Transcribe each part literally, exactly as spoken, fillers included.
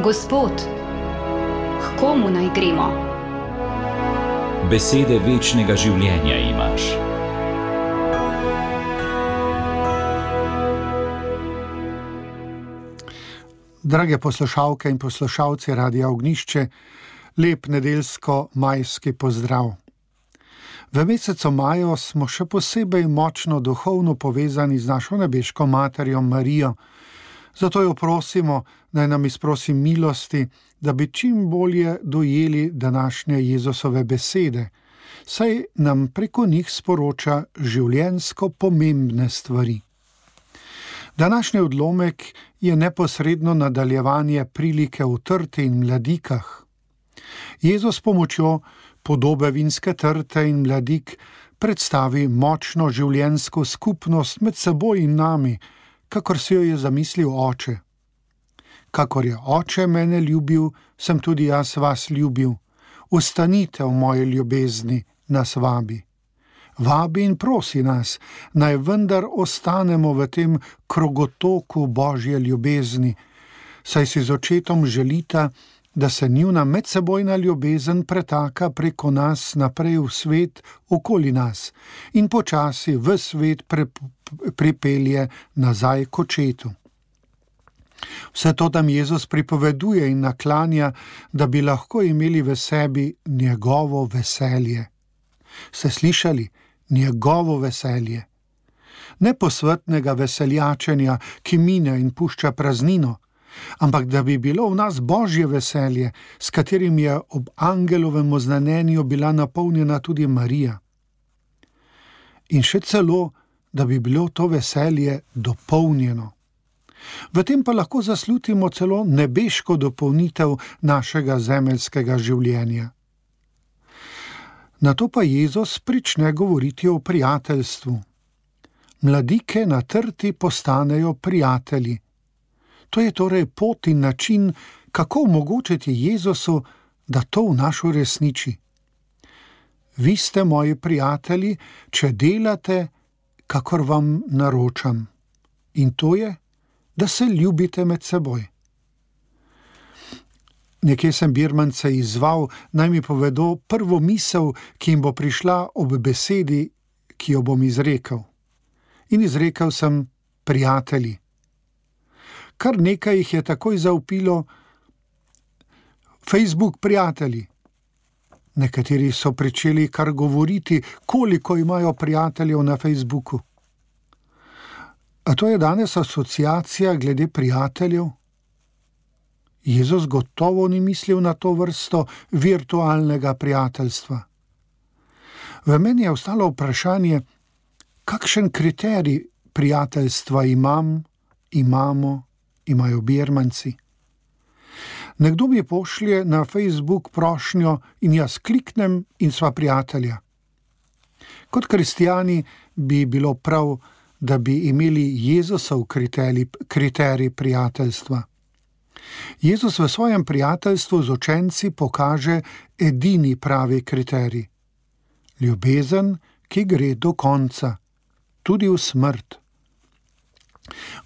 Gospod, k komu naj gremo? Besede večnega življenja imaš. Drage poslušalke in poslušalci Radia Ognjišče, lep nedeljsko-majski pozdrav. V mesecu maju smo še posebej močno duhovno povezani z našo nebeško materjo Marijo, zato jo prosimo, naj nam izprosi milosti, da bi čim bolje dojeli današnje Jezusove besede, saj nam preko njih sporoča življenjsko pomembne stvari. Današnji odlomek je neposredno nadaljevanje prilike v trti in mladikah. Jezus s pomočjo podobe vinske trte in mladik predstavi močno življenjsko skupnost med seboj in nami, kakor si jo je zamislil oče. Kakor je oče mene ljubil, sem tudi jaz vas ljubil. Ostanite v moji ljubezni, nas vabi. Vabi in prosi nas, naj vendar ostanemo v tem krogotoku Božje ljubezni, saj si z očetom želita, da se njuna medsebojna ljubezen pretaka preko nas naprej v svet okoli nas in počasi v svet pre, pripelje nazaj k očetu. Vse to tam Jezus pripoveduje in naklanja, da bi lahko imeli v sebi njegovo veselje. Ste slišali? Njegovo veselje. Ne posvetnega veseljačenja, ki mine in pušča praznino, ampak da bi bilo v nas Božje veselje, s katerim je ob angelovem oznanjenju bila napolnjena tudi Marija. In še celo, da bi bilo to veselje dopolnjeno. V tem pa lahko zaslutimo celo nebeško dopolnitev našega zemeljskega življenja. Nato pa Jezus prične govoriti o prijateljstvu. Mladike na trti postanejo prijatelji. To je torej pot in način, kako omogočiti Jezusu, da to v nas uresniči. Vi ste moji prijatelji, če delate, kakor vam naročam. In to je, da se ljubite med seboj. Nekje sem birmance izzval, naj mi povedo prvo misel, ki jim bo prišla ob besedi, ki jo bom izrekel. In izrekel sem prijatelji. Kar nekaj jih je takoj zavpilo Facebook prijatelji. Nekateri so pričeli kar govoriti, koliko imajo prijateljev na Facebooku. A to je danes asociacija glede prijateljev? Jezus gotovo ni mislil na to vrsto virtualnega prijateljstva. V meni je ostalo vprašanje, kakšen kriterij prijateljstva imam, imamo, imajo birmanci. Nekdo mi pošlje na Facebook prošnjo in jaz kliknem in sva prijatelja. Kot kristjani bi bilo prav, da bi imeli Jezusov kriterij, kriterij prijateljstva. Jezus v svojem prijateljstvu z učenci pokaže edini pravi kriterij. Ljubezen, ki gre do konca, tudi v smrt.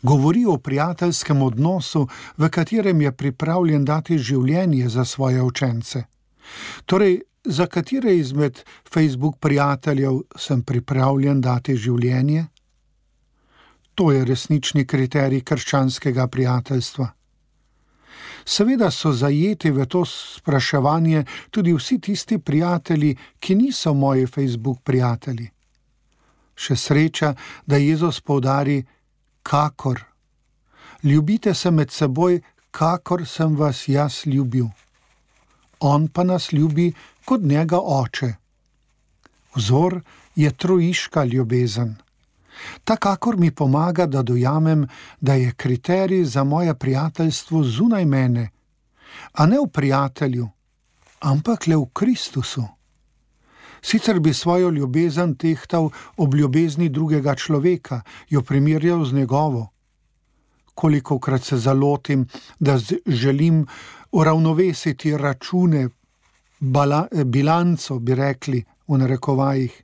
Govori o prijateljskem odnosu, v katerem je pripravljen dati življenje za svoje učence. Torej, za katere izmed Facebook prijateljev sem pripravljen dati življenje? To je resnični kriterij krščanskega prijateljstva. Seveda so zajeti v to spraševanje tudi vsi tisti prijatelji, ki niso moji Facebook prijatelji. Še sreča, da Jezus poudari, kakor. Ljubite se med seboj, kakor sem vas jaz ljubil. On pa nas ljubi kot njega oče. Vzor je trojiška ljubezen. Ta kakor mi pomaga, da dojamem, da je kriterij za moje prijateljstvo zunaj mene, a ne v prijatelju, ampak le v Kristusu. Sicer bi svojo ljubezen tehtal ob ljubezni drugega človeka, jo primerjal z njegovo. Kolikokrat se zalotim, da želim uravnovesiti račune, bala, bilanco, bi rekli v narekovajih.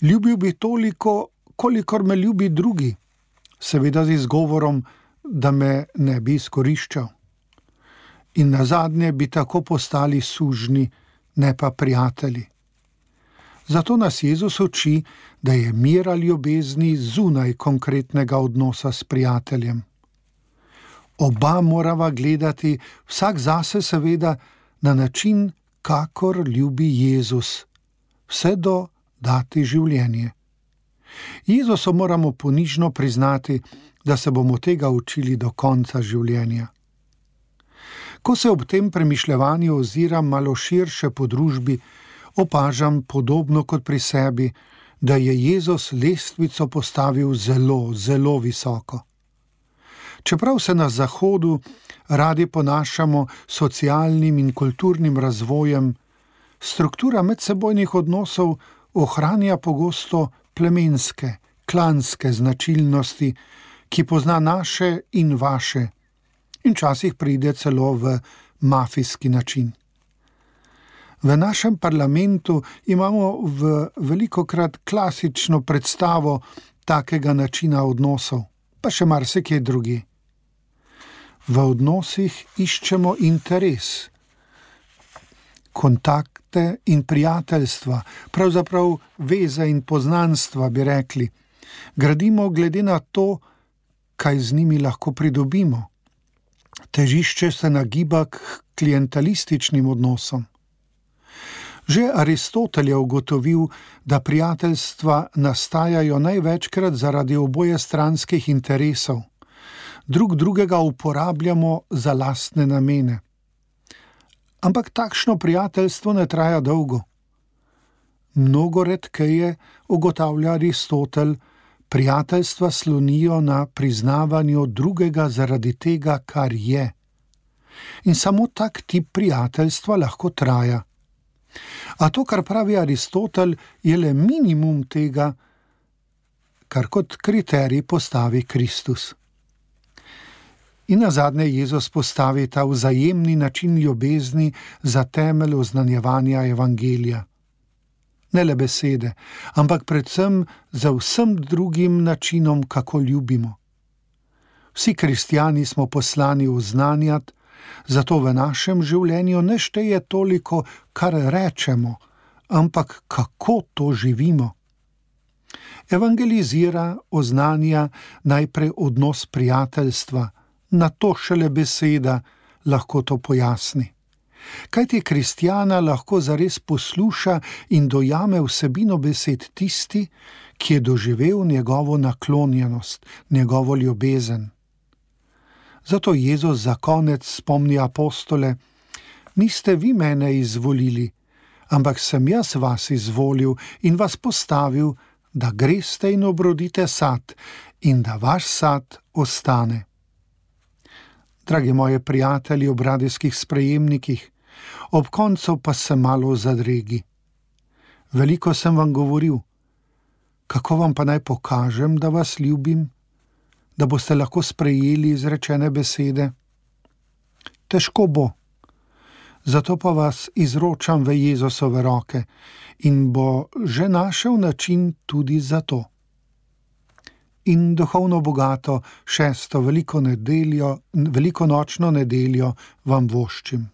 Ljubil bi toliko, kolikor me ljubi drugi, seveda z izgovorom, da me ne bi izkoriščal. in nazadnje bi tako postali sužnji, ne pa prijatelji. Zato nas Jezus uči, da je mir ali ljubezni zunaj konkretnega odnosa s prijateljem. Oba morava gledati, vsak zase seveda, na način, kakor ljubi Jezus, vse do dati življenje. Jezusu moramo ponižno priznati, da se bomo tega učili do konca življenja. Ko se ob tem premišljevanju oziram malo širše po družbi, opažam podobno kot pri sebi, da je Jezus lestvico postavil zelo, zelo visoko. Čeprav se na Zahodu radi ponašamo socialnim in kulturnim razvojem, struktura medsebojnih odnosov ohranja pogosto plemenske, klanske značilnosti, ki pozna naše in vaše, in včasih pride celo v mafijski način. V našem parlamentu imamo v velikokrat klasično predstavo takega načina odnosov, pa še marsikje drugi. V odnosih iščemo interes, kontakte in prijateljstva, pravzaprav veze in poznanstva, bi rekli. Gradimo glede na to, kaj z njimi lahko pridobimo. Težišče se nagiba k klientelističnim odnosom. Že Aristotel je ugotovil, da prijateljstva nastajajo največkrat zaradi obojestranskih interesov. Drug drugega uporabljamo za lastne namene. Ampak takšno prijateljstvo ne traja dolgo. Mnogo redkeje, ugotavlja Aristotel, prijateljstva slonijo na priznavanju drugega zaradi tega, kar je. In samo tak tip prijateljstva lahko traja. A to, kar pravi Aristotel, je le minimum tega, kar kot kriterij postavi Kristus. In nazadnje Jezus postavi ta vzajemni način ljubezni za temelj oznanjevanja evangelija. Ne le besede, ampak predvsem za vsem drugim načinom, kako ljubimo. Vsi kristjani smo poslani oznanjati, zato v našem življenju ne šteje toliko, kar rečemo, ampak kako to živimo. Evangelizira, oznanja najprej odnos prijateljstva, na to šele beseda lahko to pojasni. Kajti kristjana lahko zares posluša in dojame vsebino besed tisti, ki je doživel njegovo naklonjenost, njegovo ljubezen. Zato Jezus za konec spomni apostole: niste vi mene izvolili, ampak sem jaz vas izvolil in vas postavil, da greste in obrodite sad in da vaš sad ostane. Dragi moji prijatelji ob radijskih sprejemnikih, ob koncu pa se malo zadregi. Veliko sem vam govoril, kako vam pa naj pokažem, da vas ljubim, da boste lahko sprejeli izrečene besede? Težko bo. Zato pa vas izročam v Jezusove roke in bo že našel način tudi za to. In duhovno bogato šesto veliko nedeljo, velikonočno nedeljo vam voščim.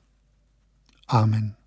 Amen.